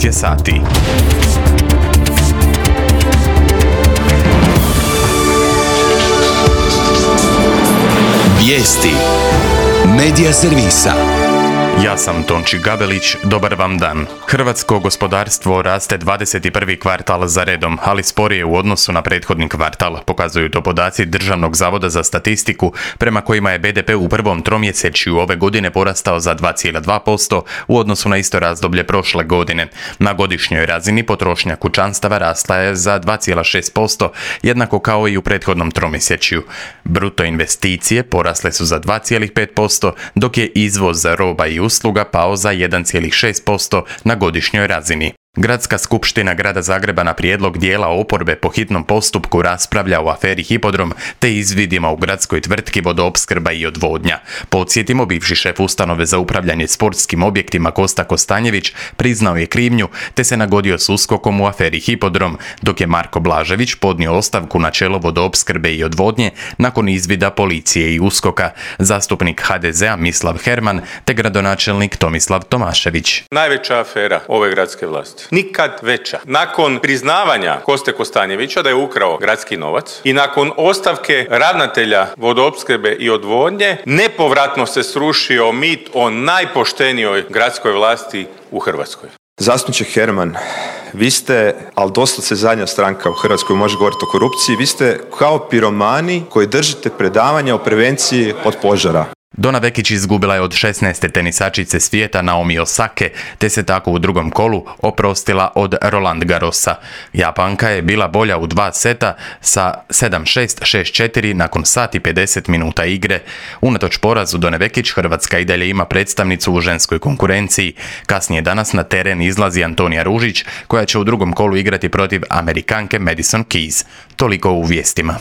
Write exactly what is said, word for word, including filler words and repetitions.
devet je sati. Vijesti Medija servisa. Ja sam Tonči Gabelić, dobar vam dan. Hrvatsko gospodarstvo raste dvadeset prvi kvartal za redom, ali sporije u odnosu na prethodni kvartal, pokazuju to podaci Državnog zavoda za statistiku, prema kojima je be de pe u prvom tromjesečju ove godine porastao za dva zarez dva posto u odnosu na isto razdoblje prošle godine. Na godišnjoj razini potrošnja kućanstava rasla je za dva zarez šest posto, jednako kao i u prethodnom tromjesečju. Bruto investicije porasle su za dva zarez pet posto, dok je izvoz roba i usluga pao za jedan zarez šest posto na godišnjoj razini. Gradska skupština Grada Zagreba na prijedlog dijela oporbe po hitnom postupku raspravlja o aferi Hipodrom te izvidima u gradskoj tvrtki Vodoopskrba i odvodnja. Podsjetimo, bivši šef ustanove za upravljanje sportskim objektima Kosta Kostanjević priznao je krivnju te se nagodio s uskokom u aferi Hipodrom, dok je Marko Blažević podnio ostavku na čelo Vodoopskrbe i odvodnje nakon izvida policije i uskoka. Zastupnik ha de zea Mislav Herman te gradonačelnik Tomislav Tomašević. Najveća afera ove gradske vlasti. Nikad veća. Nakon priznavanja Koste Kostanjevića da je ukrao gradski novac i nakon ostavke ravnatelja Vodoopskrbe i odvodnje, nepovratno se srušio mit o najpoštenijoj gradskoj vlasti u Hrvatskoj. Zastupniče Herman, vi ste, ali doslovce zadnja stranka u Hrvatskoj može govoriti o korupciji, vi ste kao piromani koji držite predavanja o prevenciji od požara. Donna Vekić izgubila je od šesnaeste tenisačice svijeta Naomi Osake, te se tako u drugom kolu oprostila od Roland Garrosa. Japanka je bila bolja u dva seta sa sedam šest, šest četiri nakon sat i pedeset minuta igre. Unatoč porazu Donne Vekić, Hrvatska i dalje ima predstavnicu u ženskoj konkurenciji. Kasnije danas na teren izlazi Antonija Ružić, koja će u drugom kolu igrati protiv Amerikanke Madison Keys. Toliko u vijestima.